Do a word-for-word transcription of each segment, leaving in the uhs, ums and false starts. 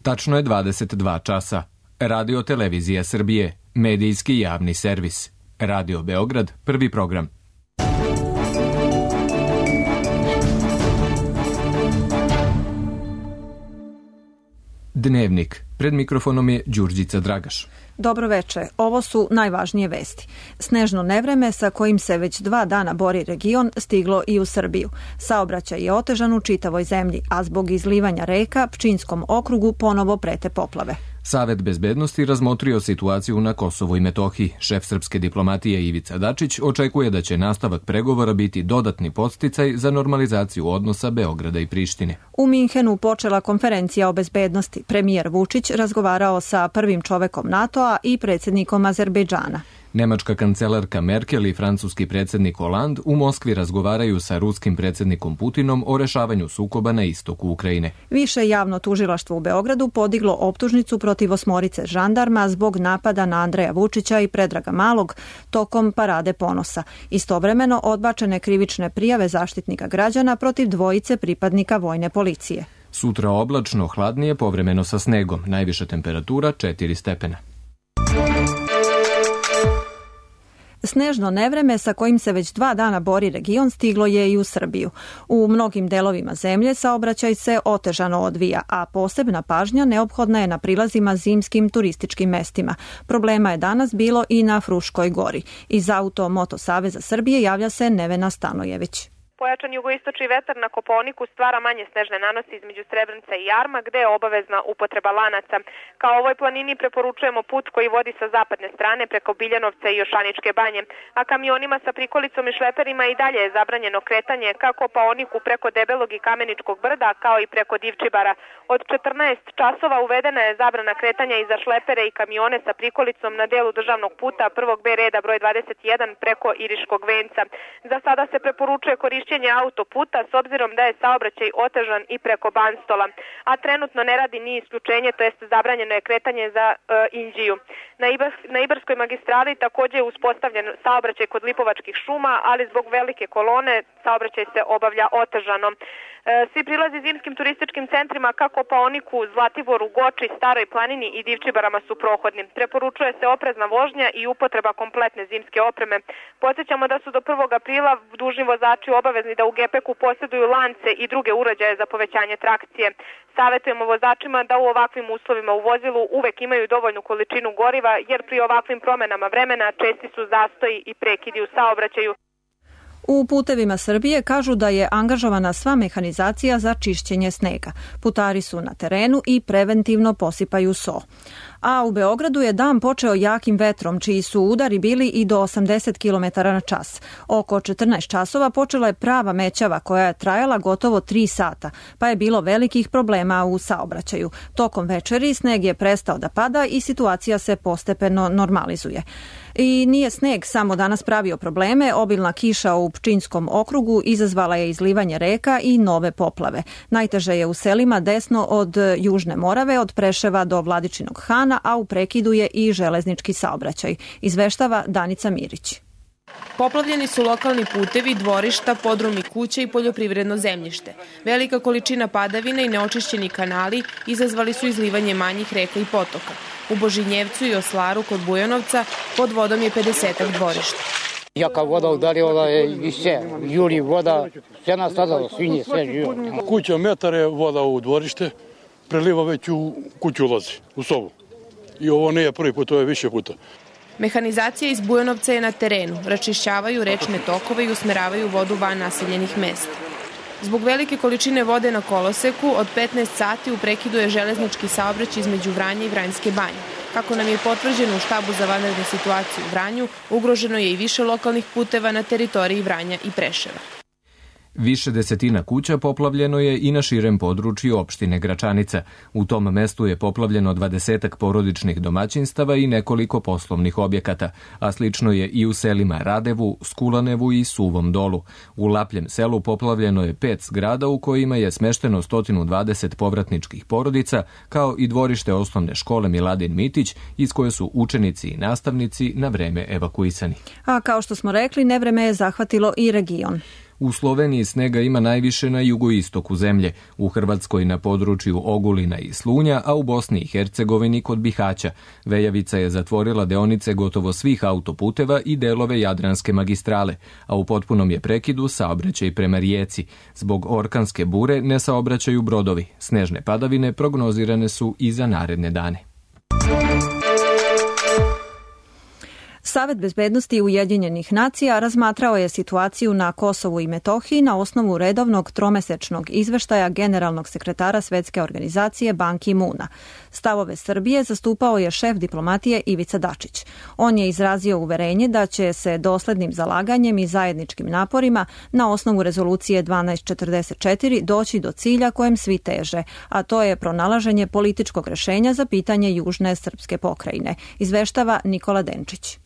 Tačno je dvadeset dva časa. Radio Televizija Srbije, medijski javni servis. Radio Beograd, prvi program. Dnevnik. Pred mikrofonom je Đurđica Dragaš. Dobro veče, ovo su najvažnije vesti. Snežno nevreme sa kojim se već dva dana bori region stiglo i u Srbiju. Saobraćaj je otežan u čitavoj zemlji, a zbog izlivanja reka Pčinjskom okrugu ponovo prete poplave. Savet bezbednosti razmotrio situaciju na Kosovu i Metohiji. Šef srpske diplomatije Ivica Dačić očekuje da će nastavak pregovora biti dodatni podsticaj za normalizaciju odnosa Beograda i Prištine. U Minhenu počela konferencija o bezbednosti. Premijer Vučić razgovarao sa prvim čovekom NATO-a i predsjednikom Azerbejdžana. Nemačka kancelarka Merkel i francuski predsjednik Hollande u Moskvi razgovaraju sa ruskim predsjednikom Putinom o rešavanju sukoba na istoku Ukrajine. Više javno tužilaštvo u Beogradu podiglo optužnicu protiv osmorice žandarma zbog napada na Andreja Vučića i Predraga Malog tokom Parade ponosa. Istovremeno odbačene krivične prijave Zaštitnika građana protiv dvojice pripadnika vojne policije. Sutra oblačno, hladnije, povremeno sa snegom. Najviša temperatura četiri stepena. Snežno nevreme sa kojim se već dva dana bori region stiglo je i u Srbiju. U mnogim delovima zemlje saobraćaj se otežano odvija, a posebna pažnja neophodna je na prilazima zimskim turističkim mestima. Problema je danas bilo i na Fruškoj gori. Iz Auto Moto Saveza Srbije javlja se Nevena Stanojević. Pojačan jugoistočni vetar na Kopaoniku stvara manje snežne nanosi između Srebrenica i Jarma, gde je obavezna upotreba lanaca. Kao ovoj planini preporučujemo put koji vodi sa zapadne strane preko Biljanovca i Jošaničke banje, a kamionima sa prikolicom i šleperima i dalje je zabranjeno kretanje ka Kopaoniku preko Debelog i Kameničkog brda, kao i preko Divčibara. Od četrnaest časova uvedena je zabrana kretanja i za šlepere i kamione sa prikolicom na delu državnog puta prvog B reda broj dvadeset jedan preko Iriškog venca. Za sada se preporučuje korišćenje autoputa s obzirom da je saobraćaj otežan i preko Banstola, a trenutno ne radi ni isključenje, to jest zabranjeno je kretanje za e, Inđiju. Na, Ibar, na Ibarskoj magistrali također je uspostavljen saobraćaj kod Lipovačkih šuma, ali zbog velike kolone saobraćaj se obavlja otežano. E, svi prilazi zimskim turističkim centrima kako Kopaoniku, Zlatiboru, Goči, Staroj planini i Divčibarama su prohodni. Preporučuje se oprezna vožnja i upotreba kompletne zimske opreme. Podsjećamo da su do prvog aprila dužni vozači obavezni da u gepeku posjeduju lance i druge uređaje za povećanje trakcije. Savjetujemo vozačima da u ovakvim uslovima u vozilu uvek imaju dovoljnu količinu goriva, jer pri ovakvim promenama vremena česti su zastoji i prekidi u saobraćaju. U Putevima Srbije kažu da je angažovana sva mehanizacija za čišćenje snega. Putari su na terenu i preventivno posipaju so. A u Beogradu je dan počeo jakim vetrom, čiji su udari bili i do osamdeset kilometara na čas. Oko četrnaest časova počela je prava mećava koja je trajala gotovo tri sata, pa je bilo velikih problema u saobraćaju. Tokom večeri sneg je prestao da pada i situacija se postepeno normalizuje. I nije sneg samo danas pravio probleme, obilna kiša u Pčinjskom okrugu izazvala je izlivanje reka i nove poplave. Najteže je u selima desno od Južne Morave, od Preševa do Vladičinog Hana, a u prekidu je i železnički saobraćaj. Izveštava Danica Mirić. Poplavljeni su lokalni putevi, dvorišta, podrumi kuća i poljoprivredno zemljište. Velika količina padavina i neočišćeni kanali izazvali su izlivanje manjih reka i potoka. U Božinjevcu i Oslaru kod Bujanovca pod vodom je pedesetak dvorišta. Jaka voda udarila je i sve, juri voda, sve nas stradalo, svinje, sve živo. Kuća metar je voda u dvorište, preliva već u kuću ulazi, u sobu. I ovo nije prvi put, to je više puta. Mehanizacija iz Bujanovca je na terenu, račišćavaju rečne tokove i usmeravaju vodu van naseljenih mesta. Zbog velike količine vode na koloseku, od petnaest sati u prekidu je železnički saobraćaj između Vranja i Vranjske banje. Kako nam je potvrđeno u štabu za vanredne situacije u Vranju, ugroženo je i više lokalnih puteva na teritoriji Vranja i Preševa. Više desetina kuća poplavljeno je i na širem području opštine Gračanica. U tom mestu je poplavljeno dvadesetak porodičnih domaćinstava i nekoliko poslovnih objekata, a slično je i u selima Radevu, Skulanevu i Suvom Dolu. U Lapljem selu poplavljeno je pet zgrada u kojima je smešteno sto dvadeset povratničkih porodica, kao i dvorište osnovne škole Miladin Mitić, iz koje su učenici i nastavnici na vreme evakuisani. A kao što smo rekli, nevreme je zahvatilo i region. U Sloveniji snega ima najviše na jugoistoku zemlje, u Hrvatskoj na području Ogulina i Slunja, a u Bosni i Hercegovini kod Bihaća. Vejavica je zatvorila deonice gotovo svih autoputeva i delove Jadranske magistrale, a u potpunom je prekidu saobraćaj prema Rijeci. Zbog orkanske bure ne saobraćaju brodovi. Snežne padavine prognozirane su i za naredne dane. Savet bezbednosti Ujedinjenih nacija razmatrao je situaciju na Kosovu i Metohiji na osnovu redovnog tromesečnog izveštaja generalnog sekretara Svetske organizacije Ban Ki-moona. Stavove Srbije zastupao je šef diplomatije Ivica Dačić. On je izrazio uverenje da će se doslednim zalaganjem i zajedničkim naporima na osnovu rezolucije dvanaest četrdeset četiri doći do cilja kojem svi teže, a to je pronalaženje političkog rešenja za pitanje južne srpske pokrajine, izveštava Nikola Denčić.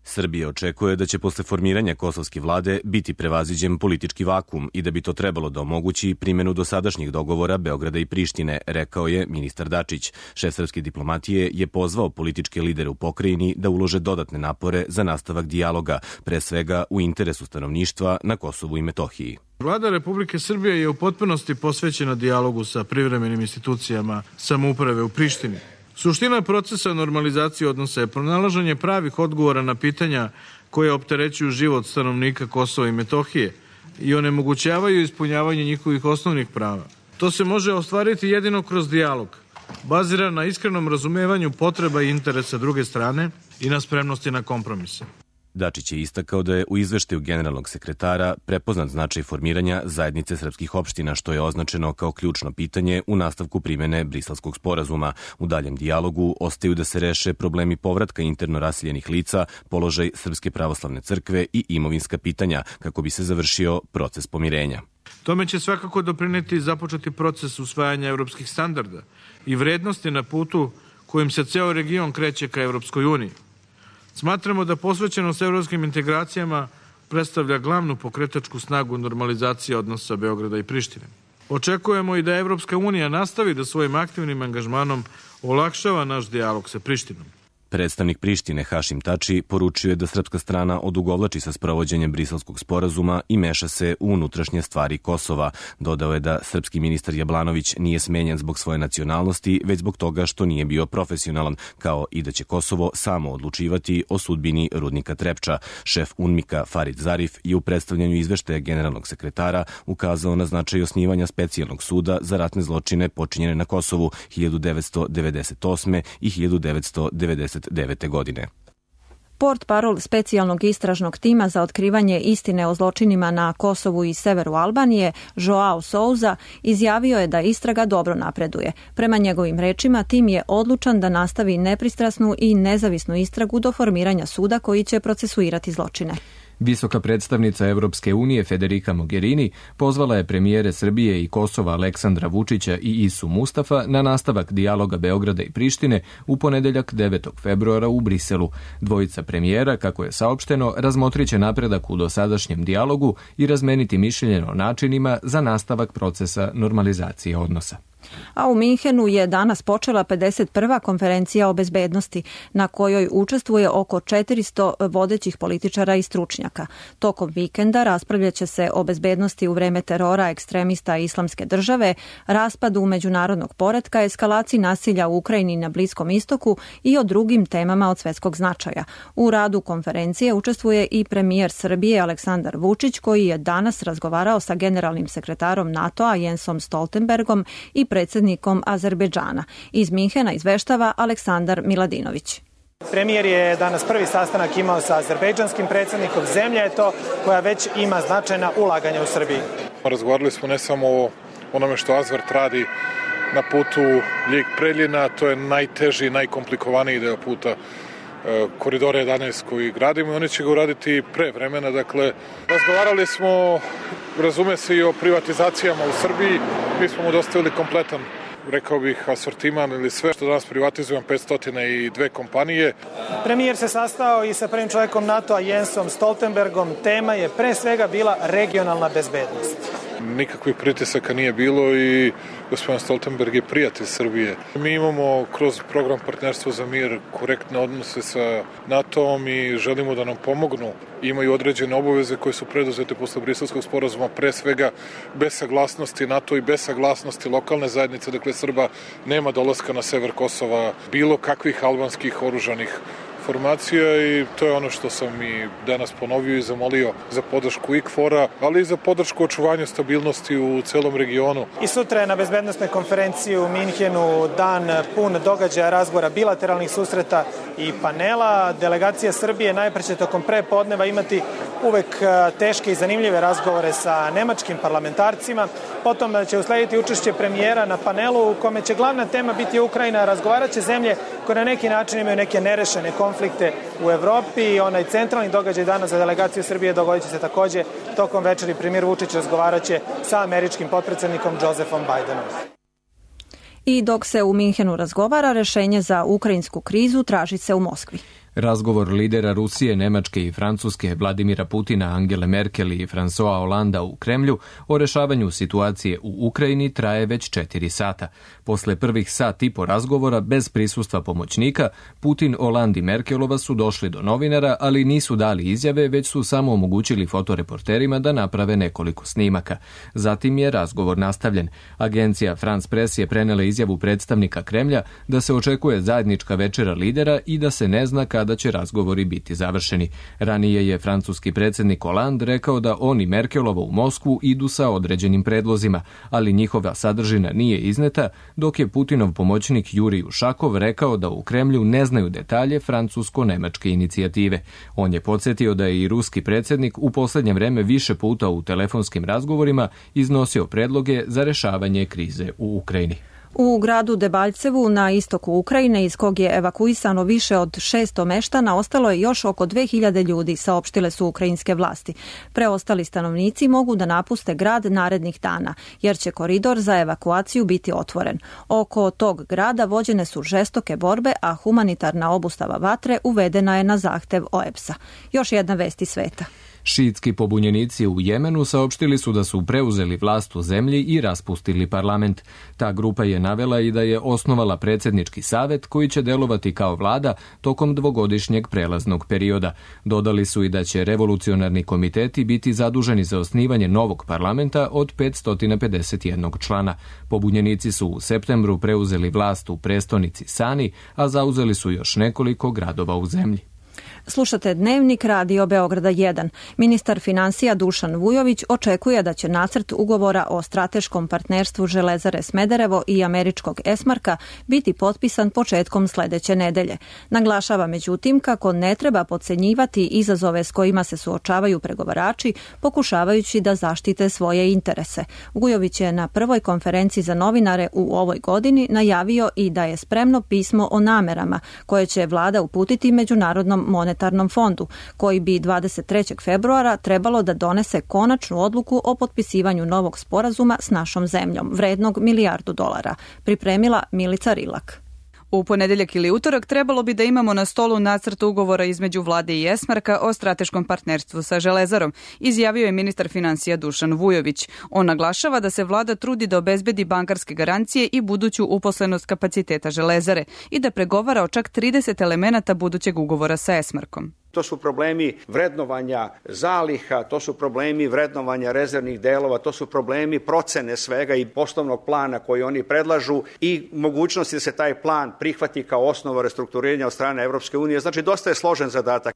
Srbija očekuje da će posle formiranja kosovske vlade biti prevaziđen politički vakum i da bi to trebalo da omogući primjenu dosadašnjih dogovora Beograda i Prištine, rekao je ministar Dačić. Šef srpske diplomatije je pozvao političke lidere u pokrajini da ulože dodatne napore za nastavak dijaloga, pre svega u interesu stanovništva na Kosovu i Metohiji. Vlada Republike Srbije je u potpunosti posvećena dijalogu sa privremenim institucijama samouprave u Prištini. Suština procesa normalizacije odnosa je pronalaženje pravih odgovora na pitanja koje opterećuju život stanovnika Kosova i Metohije i onemogućavaju ispunjavanje njihovih osnovnih prava. To se može ostvariti jedino kroz dijalog, baziran na iskrenom razumevanju potreba i interesa druge strane i na spremnosti na kompromise. Dačić je istakao da je u izveštaju generalnog sekretara prepoznat značaj formiranja zajednice srpskih opština, što je označeno kao ključno pitanje u nastavku primjene Briselskog sporazuma. U daljem dijalogu ostaju da se reše problemi povratka interno raseljenih lica, položaj Srpske pravoslavne crkve i imovinska pitanja, kako bi se završio proces pomirenja. Tome će svakako doprineti započeti proces usvajanja evropskih standarda i vrednosti na putu kojim se ceo region kreće ka Evropskoj uniji. Smatramo da posvećenost evropskim integracijama predstavlja glavnu pokretačku snagu normalizacije odnosa Beograda i Prištine. Očekujemo i da Evropska unija nastavi da svojim aktivnim angažmanom olakšava naš dijalog sa Prištinom. Predstavnik Prištine Hašim Tači poručio je da srpska strana odugovlači sa sprovođenjem Briselskog sporazuma i meša se u unutrašnje stvari Kosova. Dodao je da srpski ministar Jablanović nije smenjen zbog svoje nacionalnosti, već zbog toga što nije bio profesionalan, kao i da će Kosovo samo odlučivati o sudbini rudnika Trepča. Šef UNMIK-a Farid Zarif je u predstavljanju izveštaja generalnog sekretara ukazao na značaj osnivanja specijalnog suda za ratne zločine počinjene na Kosovu hiljadu devetsto devedeset osme. i hiljadu devetsto devedeset devete. godine. Port parol specijalnog istražnog tima za otkrivanje istine o zločinima na Kosovu i severu Albanije, Joao Souza, izjavio je da istraga dobro napreduje. Prema njegovim rečima, tim je odlučan da nastavi nepristrasnu i nezavisnu istragu do formiranja suda koji će procesuirati zločine. Visoka predstavnica Evropske unije Federica Mogherini pozvala je premijere Srbije i Kosova Aleksandra Vučića i Isu Mustafa na nastavak dijaloga Beograda i Prištine u ponedeljak devetog februara u Briselu. Dvojica premijera, kako je saopšteno, razmotriće napredak u dosadašnjem dijalogu i razmeniti mišljenje o načinima za nastavak procesa normalizacije odnosa. A u Minhenu je danas počela pedeset prva konferencija o bezbednosti, na kojoj učestvuje oko četiristo vodećih političara i stručnjaka. Tokom vikenda raspravljaće se o bezbednosti u vreme terora ekstremista Islamske države, raspadu međunarodnog poretka, eskalaciji nasilja u Ukrajini i na Bliskom istoku i o drugim temama od svetskog značaja. U radu konferencije učestvuje i premijer Srbije Aleksandar Vučić, koji je danas razgovarao sa generalnim sekretarom NATO-a Jensom Stoltenbergom i predsjednikom Azerbejdžana. Iz Minhena izveštava Aleksandar Miladinović. Premijer je danas prvi sastanak imao sa azerbejdžanskim predsjednikom. Zemlja je to koja već ima značajna ulaganja u Srbiji. Razgovarali smo ne samo o onome što Azvert radi na putu Ljig-Preljina, to je najteži, najkomplikovaniji deo puta koridora jedanaest koji gradimo i oni će ga uraditi pre vremena. Dakle, razgovarali smo, razume se, i o privatizacijama u Srbiji. Mi smo mu dostavili kompletan, rekao bih, asortiman ili sve što danas privatizujemo, petsto dva kompanije. Premijer se sastao i sa prvim čovjekom NATO-a Jensom Stoltenbergom. Tema je pre svega bila regionalna bezbednost. nikakvih pritisaka nije bilo i gospodin Stoltenberg je prijatelj Srbije. Mi imamo kroz program Partnerstvo za mir korektne odnose sa NATO-om i želimo da nam pomognu. Imaju određene obaveze koje su preduzete posle Briselskog sporazuma, pre svega bez saglasnosti NATO i bez saglasnosti lokalne zajednice, dakle Srba nema dolaska na sever Kosova, bilo kakvih albanskih oružanih formacija i to je ono što sam i danas ponovio i zamolio za podršku I K F O R-a, ali i za podršku očuvanju stabilnosti u celom regionu. I sutra je na bezbednostnoj konferenciji u Minhenu dan pun događaja, razgovora, bilateralnih susreta i panela. Delegacija Srbije najpre će tokom prepodneva imati uvek teške i zanimljive razgovore sa nemačkim parlamentarcima. Potom će uslediti učešće premijera na panelu u kome će glavna tema biti Ukrajina. Razgovarat će zemlje koje na neki način imaju neke nerešene konflikte u Evropi. Onaj centralni događaj danas za delegaciju Srbije dogodit će se takođe tokom večeri. Premijer Vučić razgovarat će sa američkim potpredsednikom Josephom Bidenom. I dok se u Minhenu razgovara, rešenje za ukrajinsku krizu traži se u Moskvi. Razgovor lidera Rusije, Nemačke i Francuske Vladimira Putina, Angele Merkel i François Hollanda u Kremlju o rešavanju situacije u Ukrajini traje već četiri sata. Posle prvih sat i po razgovora bez prisustva pomoćnika, Putin, Hollande i Merkelova su došli do novinara, ali nisu dali izjave, već su samo omogućili fotoreporterima da naprave nekoliko snimaka. Zatim je razgovor nastavljen. Agencija France Press je prenela izjavu predstavnika Kremlja da se očekuje zajednička večera lidera i da se ne zna kada da će razgovori biti završeni. Ranije je francuski predsjednik Hollande rekao da on i Merkelova u Moskvu idu sa određenim predlozima, ali njihova sadržina nije izneta, dok je Putinov pomoćnik Jurij Ušakov rekao da u Kremlju ne znaju detalje francusko-nemačke inicijative. On je podsjetio da je i ruski predsjednik u posljednje vreme više puta u telefonskim razgovorima iznosio predloge za rešavanje krize u Ukrajini. U gradu Debaljevu na istoku Ukrajine, iz kog je evakuisano više od šesto meštana, ostalo je još oko dve hiljade ljudi, saopštile su ukrajinske vlasti. Preostali stanovnici mogu da napuste grad narednih dana, jer će koridor za evakuaciju biti otvoren. Oko tog grada vođene su žestoke borbe, a humanitarna obustava vatre uvedena je na zahtev O E B S-a. Još jedna vest iz sveta. Šiitski pobunjenici u Jemenu saopštili su da su preuzeli vlast u zemlji i raspustili parlament. Ta grupa je navela i da je osnovala predsjednički savet koji će delovati kao vlada tokom dvogodišnjeg prelaznog perioda. Dodali su i da će revolucionarni komiteti biti zaduženi za osnivanje novog parlamenta od petsto pedeset jedan člana. Pobunjenici su u septembru preuzeli vlast u prestonici Sani, a zauzeli su još nekoliko gradova u zemlji. Slušate Dnevnik Radio Beograda jedan. Ministar finansija Dušan Vujović očekuje da će nacrt ugovora o strateškom partnerstvu Železare Smederevo i američkog Esmarka biti potpisan početkom sledeće nedelje. Naglašava međutim kako ne treba podcenjivati izazove s kojima se suočavaju pregovarači, pokušavajući da zaštite svoje interese. Vujović je na prvoj konferenciji za novinare u ovoj godini najavio i da je spremno pismo o namerama koje će vlada uputiti Međunarodnom monetarnom fondu, koji bi dvadeset trećeg februara trebalo da donese konačnu odluku o potpisivanju novog sporazuma s našom zemljom, vrednog milijardu dolara, pripremila Milica Rilak. U ponedeljak ili utorak trebalo bi da imamo na stolu nacrt ugovora između vlade i Esmarka o strateškom partnerstvu sa Železarom, izjavio je ministar finansija Dušan Vujović. On naglašava da se vlada trudi da obezbedi bankarske garancije i buduću uposlenost kapaciteta Železare i da pregovara o čak trideset elemenata budućeg ugovora sa Esmarkom. To su problemi vrednovanja zaliha, to su problemi vrednovanja rezervnih delova, to su problemi procene svega i poslovnog plana koji oni predlažu i mogućnosti da se taj plan prihvati kao osnova restrukturiranja od strane Evropske unije. Znači, dosta je složen zadatak.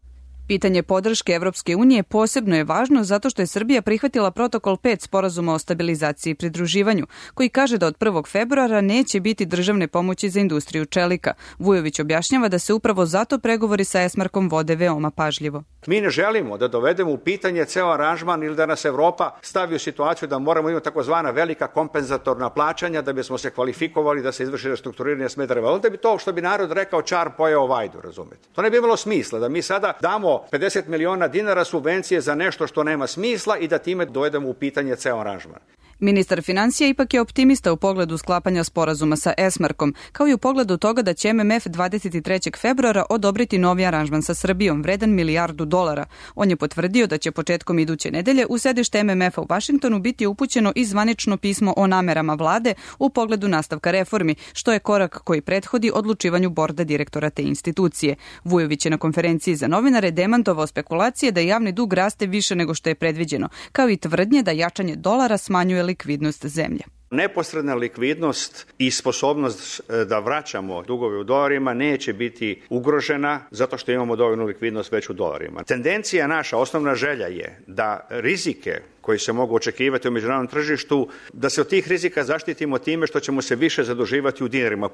Pitanje podrške Evropske unije posebno je važno zato što je Srbija prihvatila protokol pet sporazuma o stabilizaciji i pridruživanju, koji kaže da od prvog februara neće biti državne pomoći za industriju čelika. Vujović objašnjava da se upravo zato pregovori sa Esmarkom vode veoma pažljivo. Mi ne želimo da dovedemo u pitanje ceo aranžman ili da nas Evropa stavi u situaciju da moramo imati takozvana velika kompenzatorna plaćanja da bismo se kvalifikovali da se izvrši restrukturiranje Smedereva. Onda bi to, što bi narod rekao, čar pojeo vajdu, razumete. To ne bi imalo smisla da mi sada damo pedeset miliona dinara subvencije za nešto što nema smisla i da time dovedemo u pitanje ceo aranžman. Ministar financija ipak je optimista u pogledu sklapanja sporazuma sa Esmarkom, kao i u pogledu toga da će M M F dvadeset trećeg februara odobriti novi aranžman sa Srbijom, vredan milijardu dolara. On je potvrdio da će početkom iduće nedelje u sedište M M F-a u Vašingtonu biti upućeno i zvanično pismo o namerama vlade u pogledu nastavka reformi, što je korak koji prethodi odlučivanju borda direktora te institucije. Vujović je na konferenciji za novinare demantovao spekulacije da javni dug raste više nego što je predviđeno, kao i tvrdnje da jačanje dolara smanjuje likvidnost zemlje. Neposredna likvidnost i sposobnost da vraćamo dugove u dolarima neće biti ugrožena zato što imamo dovoljnu likvidnost već u dolarima. Tendencija naša, osnovna želja je da rizike koji se mogu očekivati u međunarodnom tržištu, da se od tih rizika zaštitimo time što ćemo se više zaduživati u dinarima.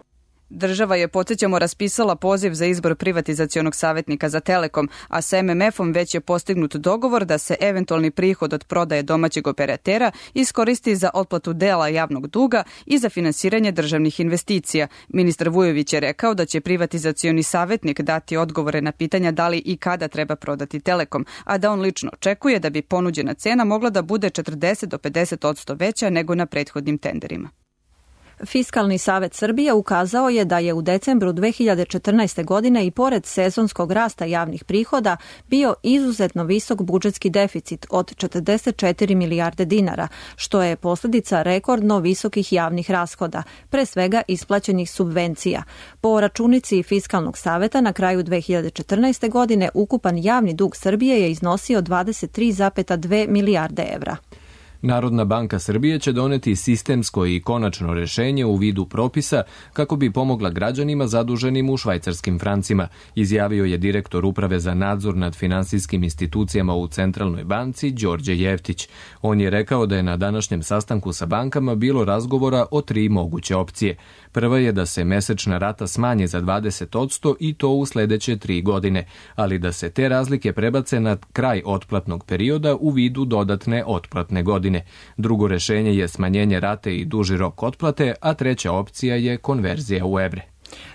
Država je, podsjećamo, raspisala poziv za izbor privatizacionog savjetnika za Telekom, a sa M M F-om već je postignut dogovor da se eventualni prihod od prodaje domaćeg operatera iskoristi za otplatu dela javnog duga i za finansiranje državnih investicija. Ministar Vujović je rekao da će privatizacioni savjetnik dati odgovore na pitanja da li i kada treba prodati Telekom, a da on lično očekuje da bi ponuđena cena mogla da bude četrdeset do pedeset odsto veća nego na prethodnim tenderima. Fiskalni savet Srbije ukazao je da je u decembru dve hiljade četrnaeste. godine i pored sezonskog rasta javnih prihoda bio izuzetno visok budžetski deficit od četrdeset četiri milijarde dinara, što je posljedica rekordno visokih javnih rashoda, pre svega isplaćenih subvencija. Po računici Fiskalnog saveta na kraju dve hiljade četrnaeste. godine ukupan javni dug Srbije je iznosio dvadeset tri zarez dve milijarde evra. Narodna banka Srbije će doneti sistemsko i konačno rešenje u vidu propisa kako bi pomogla građanima zaduženim u švajcarskim francima, izjavio je direktor Uprave za nadzor nad finansijskim institucijama u Centralnoj banci Đorđe Jeftić. On je rekao da je na današnjem sastanku sa bankama bilo razgovora o tri moguće opcije. Prva je da se mesečna rata smanje za dvadeset odsto i to u sledeće tri godine, ali da se te razlike prebace na kraj otplatnog perioda u vidu dodatne otplatne godine. Drugo rešenje je smanjenje rate i duži rok otplate, a treća opcija je konverzija u evre.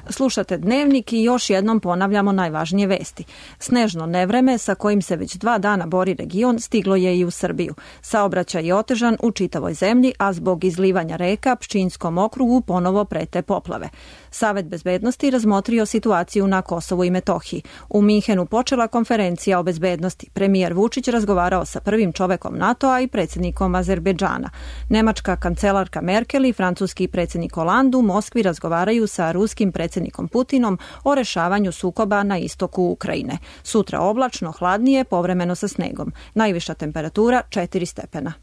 Slušate Dnevnik i još jednom ponavljamo najvažnije vesti. Snežno nevreme sa kojim se već dva dana bori region stiglo je i u Srbiju. Saobraćaj je otežan u čitavoj zemlji, a zbog izlivanja reka Pčinjskom okrugu ponovo prete poplave. Savet bezbednosti razmotrio situaciju na Kosovu i Metohiji. U Minhenu počela konferencija o bezbednosti. Premijer Vučić razgovarao sa prvim čovekom NATO-a i predsjednikom Azerbejdžana. Nemačka kancelarka Merkel i francuski predsjednik Hollande u Moskvi razgovaraju sa ruskim predsjednikom Putinom o rešavanju sukoba na istoku Ukrajine. Sutra oblačno, hladnije, povremeno sa snegom. Najviša temperatura četiri stepena.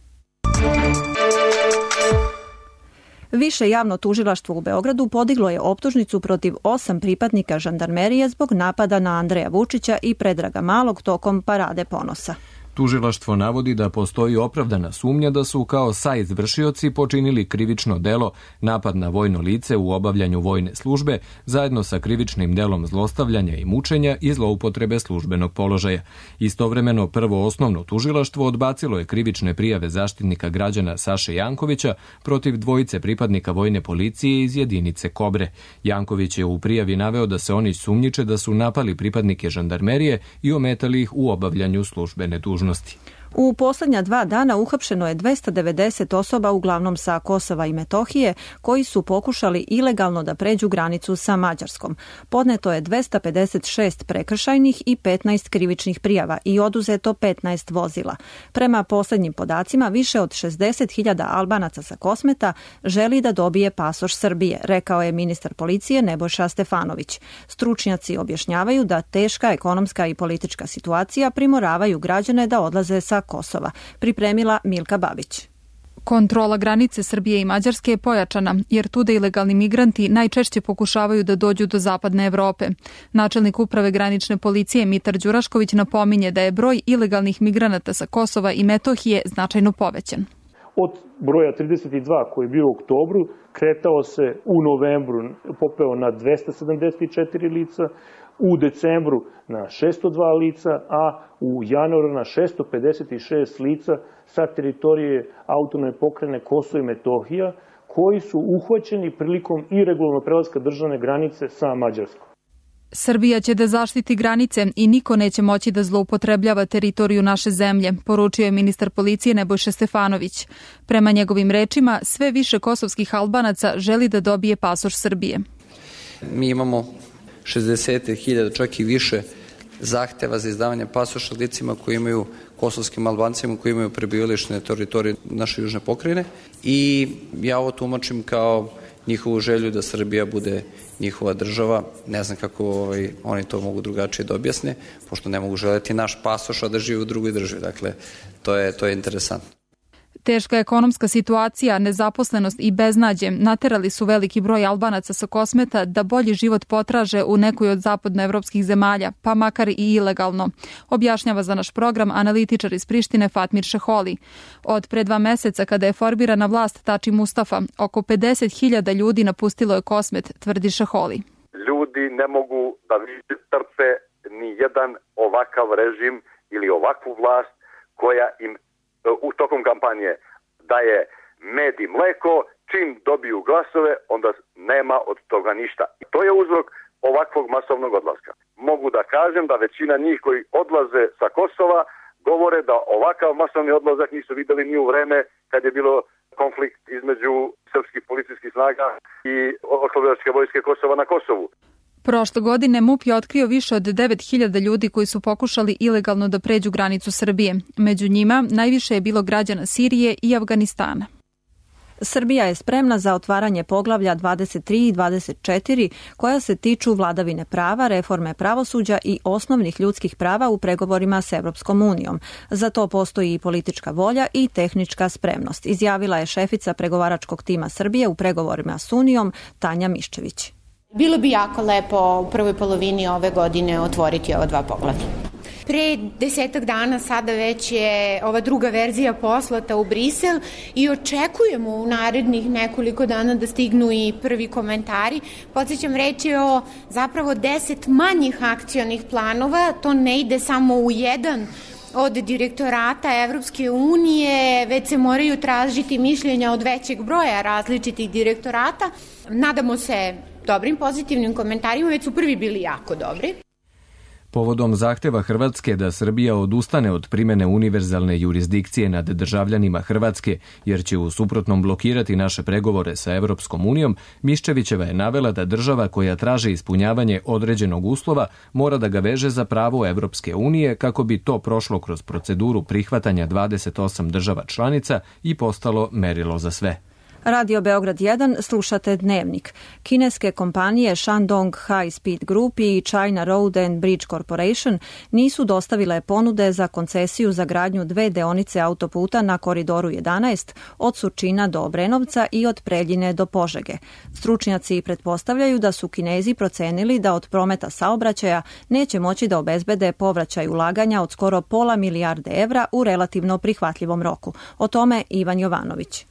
Više javno tužilaštvo u Beogradu podiglo je optužnicu protiv osam pripadnika žandarmerije zbog napada na Andreja Vučića i Predraga Malog tokom Parade ponosa. Tužilaštvo navodi da postoji opravdana sumnja da su kao saizvršioci počinili krivično delo napad na vojno lice u obavljanju vojne službe zajedno sa krivičnim delom zlostavljanja i mučenja i zloupotrebe službenog položaja. Istovremeno prvo osnovno tužilaštvo odbacilo je krivične prijave zaštitnika građana Saše Jankovića protiv dvojice pripadnika vojne policije iz jedinice Kobre. Janković je u prijavi naveo da se oni sumnjiče da su napali pripadnike žandarmerije i ometali ih u obavljanju službene dužnosti. U posljednja dva dana uhapšeno je dvesta devedeset osoba, uglavnom sa Kosova i Metohije, koji su pokušali ilegalno da pređu granicu sa Mađarskom. Podneto je dvesta pedeset šest prekršajnih i petnaest krivičnih prijava i oduzeto petnaest vozila. Prema posljednjim podacima, više od šezdeset hiljada Albanaca sa Kosmeta želi da dobije pasoš Srbije, rekao je ministar policije Nebojša Stefanović. Stručnjaci objašnjavaju da teška ekonomska i politička situacija primoravaju građane da odlaze sa Kosova. Pripremila Milka Babić. Kontrola granice Srbije i Mađarske je pojačana, jer tuda ilegalni migranti najčešće pokušavaju da dođu do zapadne Evrope. Načelnik uprave granične policije Mitar Đurašković napominje da je broj ilegalnih migranata sa Kosova i Metohije značajno povećan. Od broja trideset dva koji je bio u oktobru, kretao se u novembru, popeo na dvesta sedamdeset četiri lica, u decembru na šesto dva lica, a u januaru na šesto pedeset šest lica sa teritorije autonomne pokrajine Kosovo i Metohija, koji su uhvaćeni prilikom iregularnog prelaska državne granice sa Mađarskom. Srbija će da zaštiti granice i niko neće moći da zloupotrebljava teritoriju naše zemlje, poručio je ministar policije Nebojša Stefanović. Prema njegovim rečima, sve više kosovskih Albanaca želi da dobije pasoš Srbije. Mi imamo šezdeset hiljada, čak i više zahteva za izdavanje pasoša licima koji imaju, kosovskim Albancima koji imaju prebivalište na teritoriji naše južne pokrajine, i ja ovo tumačim kao njihovu želju da Srbija bude njihova država. Ne znam kako ovaj, oni to mogu drugačije da objasne, pošto ne mogu želeti naš pasoš, a da žive u drugoj državi. Dakle, to je, to je interesantno. Teška ekonomska situacija, nezaposlenost i beznađe naterali su veliki broj Albanaca sa Kosmeta da bolji život potraže u nekoj od zapadnoevropskih zemalja, pa makar i ilegalno, objašnjava za naš program analitičar iz Prištine Fatmir Šeholi. Od pre dva meseca, kada je formirana vlast Tači Mustafa, oko pedeset hiljada ljudi napustilo je Kosmet, tvrdi Šeholi. Ljudi ne mogu da trpe ni jedan ovakav režim ili ovakvu vlast koja im u tokom kampanje daje med i mleko, čim dobiju glasove, onda nema od toga ništa. I to je uzrok ovakvog masovnog odlaska. Mogu da kažem da većina njih koji odlaze sa Kosova govore da ovakav masovni odlazak nisu videli ni u vreme kad je bilo konflikt između srpskih policijskih snaga i oslobodilačke vojske Kosova na Kosovu. Prošle godine MUP je otkrio više od devet hiljada ljudi koji su pokušali ilegalno da pređu granicu Srbije. Među njima najviše je bilo građana Sirije i Afganistana. Srbija je spremna za otvaranje poglavlja dvadeset tri i dvadeset četiri koja se tiču vladavine prava, reforme pravosuđa i osnovnih ljudskih prava u pregovorima s Evropskom unijom. Za to postoji i politička volja i tehnička spremnost, izjavila je šefica pregovaračkog tima Srbije u pregovorima s Unijom Tanja Miščević. Bilo bi jako lepo u prvoj polovini ove godine otvoriti ova dva poglavlja. Pre desetak dana sada već je ova druga verzija poslata u Brisel i očekujemo u narednih nekoliko dana da stignu i prvi komentari. Podsjećam, reč je o zapravo deset manjih akcionih planova, to ne ide samo u jedan od direktorata Evropske unije, već se moraju tražiti mišljenja od većeg broja različitih direktorata. Nadamo se dobrim pozitivnim komentarima, već su prvi bili jako dobri. Povodom zahteva Hrvatske da Srbija odustane od primene univerzalne jurisdikcije nad državljanima Hrvatske, jer će u suprotnom blokirati naše pregovore sa Evropskom unijom, Miščevićeva je navela da država koja traži ispunjavanje određenog uslova mora da ga veže za pravo Evropske unije kako bi to prošlo kroz proceduru prihvatanja dvadeset osam država članica i postalo merilo za sve. Radio Beograd jedan, slušate Dnevnik. Kineske kompanije Shandong High Speed Group i China Road and Bridge Corporation nisu dostavile ponude za koncesiju za gradnju dve deonice autoputa na Koridoru jedanaest od Surčina do Obrenovca i od Preljine do Požege. Stručnjaci pretpostavljaju da su Kinezi procenili da od prometa saobraćaja neće moći da obezbede povraćaj ulaganja od skoro pola milijarde evra u relativno prihvatljivom roku. O tome Ivan Jovanović.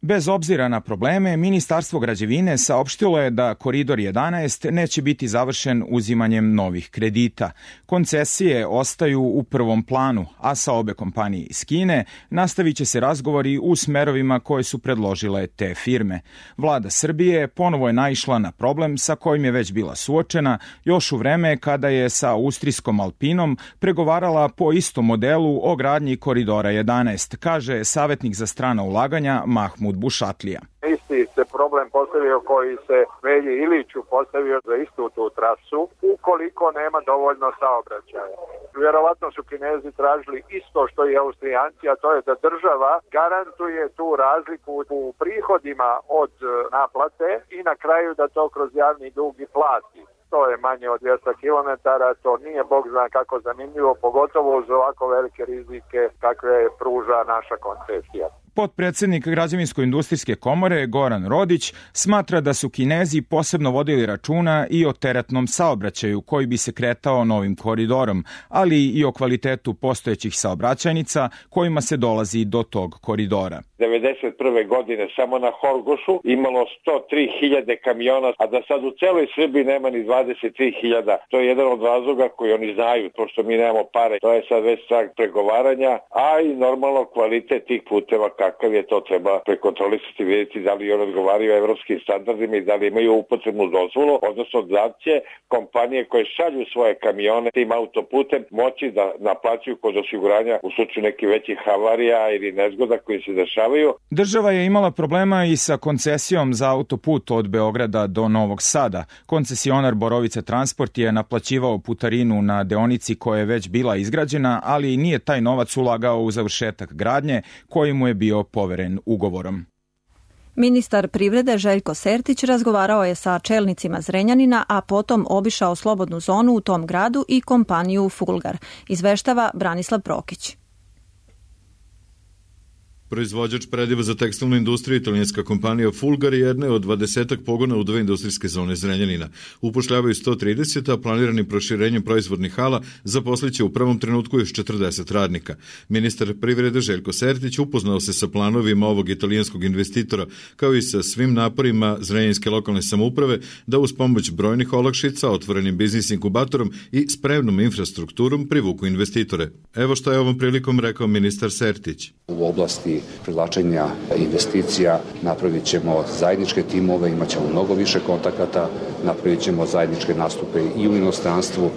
Bez obzira na probleme, Ministarstvo građevine saopštilo je da Koridor jedanaest neće biti završen uzimanjem novih kredita. Koncesije ostaju u prvom planu, a sa obe kompanije iz Kine nastavit će se razgovori u smerovima koje su predložile te firme. Vlada Srbije ponovo je naišla na problem sa kojim je već bila suočena još u vreme kada je sa austrijskom Alpinom pregovarala po istom modelu o gradnji Koridora jedanaest, kaže savjetnik za strana ulaganja Mahmud Bušatlija. Isti se problem postavio koji se Velji Iliću postavio za istu tu trasu, ukoliko nema dovoljno saobraćaja. Vjerovatno su Kinezi tražili isto što i Austrijanci, a to je da država garantuje tu razliku u prihodima od naplate i na kraju da to kroz javni dug i plati. To je manje od dvjesto kilometara, to nije bog zna kako zanimljivo, pogotovo uz ovako velike rizike kakve pruža naša koncesija. Potpredsednik Građevinsko-industrijske komore Goran Rodić smatra da su Kinezi posebno vodili računa i o teretnom saobraćaju koji bi se kretao novim koridorom, ali i o kvalitetu postojećih saobraćajnica kojima se dolazi do tog koridora. devedeset prve godine samo na Horgošu imalo sto tri hiljade kamiona, a da sad u celoj Srbiji nema ni dvadeset tri hiljade. To je jedan od razloga koji oni znaju, pošto mi nemamo pare. To je sad već strah pregovaranja, a i normalno kvalitet tih puteva kakav je, to treba prekontrolisati, vidjeti da li on odgovaraju evropskim standardima i da li imaju upotrebnu dozvolu, odnosno da će kompanije koje šalju svoje kamione tim autoputem moći da naplaćuju kod osiguranja u slučaju nekih većih havarija ili nezgoda koji se dešavaju. Država je imala problema i sa koncesijom za autoput od Beograda do Novog Sada. Koncesionar Borovica Transport je naplaćivao putarinu na deonici koja je već bila izgrađena, ali nije taj novac ulagao u završetak gradnje koji mu je bio poveren ugovorom. Ministar privrede Željko Sertić razgovarao je sa čelnicima Zrenjanina, a potom obišao slobodnu zonu u tom gradu i kompaniju Fulgar. Izveštava Branislav Prokić. Proizvođač prediva za tekstilnu industriju, italijanska kompanija Fulgar je jedna od dvadesetak pogona u dve industrijske zone Zrenjanina. Upošljavaju sto trideset, a planiranim proširenjem proizvodnih hala zaposliće u prvom trenutku još četrdeset radnika. Ministar privrede Željko Sertić upoznao se sa planovima ovog italijanskog investitora, kao i sa svim naporima zrenjaninske lokalne samouprave da uz pomoć brojnih olakšica, otvorenim biznis inkubatorom i spremnom infrastrukturom privuku investitore. Evo što je ovom prilikom rekao ministar Sertić. U oblasti privlačenja investicija napravit ćemo zajedničke timove, imat ćemo mnogo više kontakata, napravit ćemo zajedničke nastupe i u inostranstvu,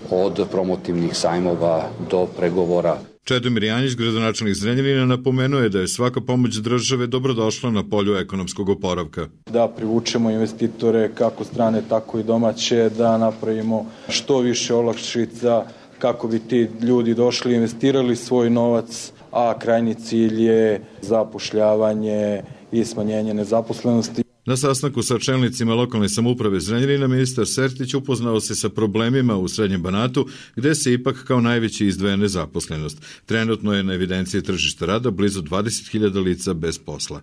od promotivnih sajmova do pregovora. Čedomir Janjić, gradonačelnik Zrenjanina, napomenuo je da je svaka pomoć države dobrodošla na polju ekonomskog oporavka. Da privučemo investitore kako strane, tako i domaće, da napravimo što više olakšica kako bi ti ljudi došli, investirali svoj novac, a krajnji cilj je zapošljavanje i smanjenje nezaposlenosti. Na sastanku sa čelnicima lokalne samouprave Zrenjanina ministar Sertić upoznao se sa problemima u Srednjem Banatu, gde se ipak kao najveći izdvaja nezaposlenost. Trenutno je na evidenciji tržišta rada blizu dvadeset hiljada lica bez posla.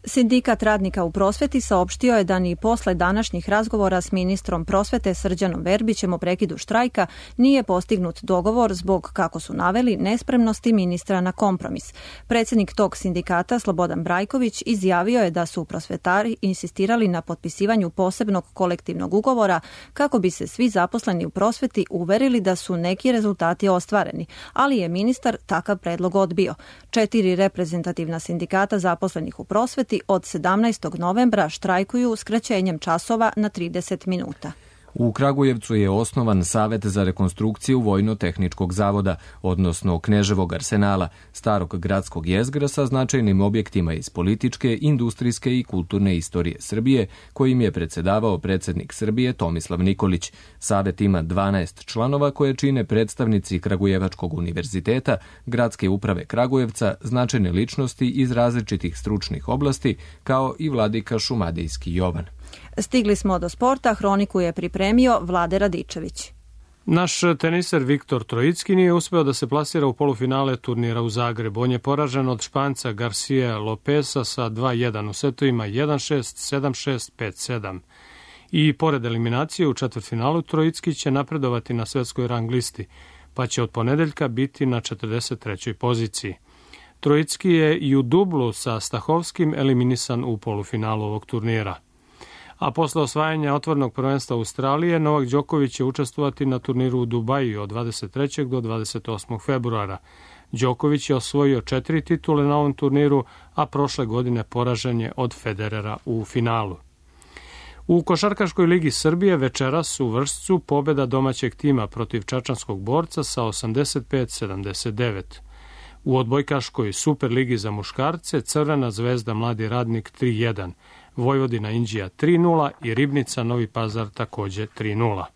Sindikat radnika u prosveti saopštio je da ni posle današnjih razgovora s ministrom prosvete Srđanom Verbićem o prekidu štrajka nije postignut dogovor zbog, kako su naveli, nespremnosti ministra na kompromis. Predsjednik tog sindikata, Slobodan Brajković, izjavio je da su prosvetari insistirali na potpisivanju posebnog kolektivnog ugovora kako bi se svi zaposleni u prosveti uverili da su neki rezultati ostvareni, ali je ministar takav predlog odbio. Četiri reprezentativna sindikata zaposlenih u prosveti od sedamnaestog novembra štrajkuju skraćenjem časova na trideset minuta. U Kragujevcu je osnovan Savet za rekonstrukciju Vojno-tehničkog zavoda, odnosno Kneževog arsenala, starog gradskog jezgra sa značajnim objektima iz političke, industrijske i kulturne istorije Srbije, kojim je predsedavao predsjednik Srbije Tomislav Nikolić. Savet ima dvanaest članova koje čine predstavnici Kragujevačkog univerziteta, Gradske uprave Kragujevca, značajne ličnosti iz različitih stručnih oblasti, kao i vladika Šumadijski Jovan. Stigli smo do sporta, hroniku je pripremio Vlade Radičević. Naš teniser Viktor Trojicki nije uspeo da se plasira u polufinale turnira u Zagrebu. On je poražen od Španca Garcia Lopeza sa dva jedan u setovima jedan šest, sedam šest, pet sedam. I pored eliminacije u četvrtfinalu Trojicki će napredovati na svetskoj rang listi, pa će od ponedeljka biti na četrdeset trećoj poziciji. Trojicki je i u dublu sa Stahovskim eliminisan u polufinalu ovog turnira. A posle osvajanja otvorenog prvenstva Australije, Novak Đoković će učestvovati na turniru u Dubaju od dvadeset trećeg do dvadeset osmog februara. Đoković je osvojio četiri titule na ovom turniru, a prošle godine poražen je od Federera u finalu. U Košarkaškoj ligi Srbije večeras u Vršcu pobeda domaćeg tima protiv čačanskog borca sa osamdeset pet sedamdeset devet. U odbojkaškoj Superligi za muškarce Crvena zvezda Mladi radnik tri jedan, Vojvodina Inđija tri nula i Ribnica Novi Pazar takođe tri nula.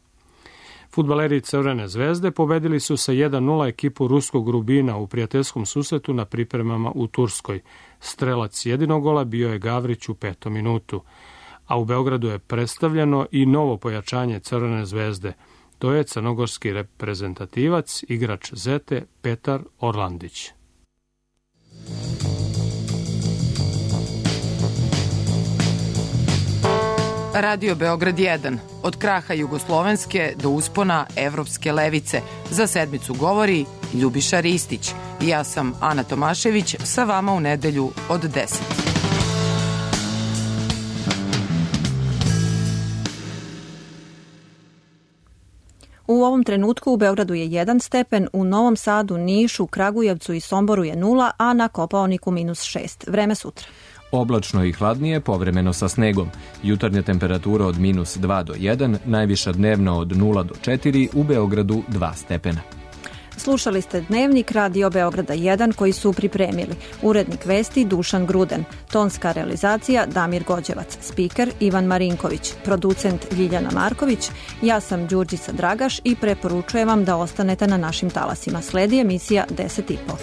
Fudbaleri Crvene zvezde pobedili su sa jedan nula ekipu ruskog Rubina u prijateljskom susretu na pripremama u Turskoj. Strelac jedinog gola bio je Gavrić u petom minutu. A u Beogradu je predstavljeno i novo pojačanje Crvene zvezde. To je crnogorski reprezentativac, igrač Zete Petar Orlandić. Radio Beograd jedan. Od kraha jugoslovenske do uspona evropske levice. Za sedmicu govori Ljubiša Ristić. Ja sam Ana Tomašević, sa vama u nedelju od deset. U ovom trenutku u Beogradu je jedan stepen, u Novom Sadu, Nišu, Kragujevcu i Somboru je nula, a na Kopaoniku minus šest. Vreme sutra. Oblačno i hladnije, povremeno sa snegom. Jutarnja temperatura od minus dva do jedan, najviša dnevna od nula do četiri, u Beogradu dva stepena. Slušali ste Dnevnik Radio Beograda jedan koji su pripremili urednik vesti Dušan Gruden, tonska realizacija Damir Gođevac, spiker Ivan Marinković, producent Ljiljana Marković, ja sam Đurđica Dragaš i preporučujem vam da ostanete na našim talasima. Sledi emisija deset i po.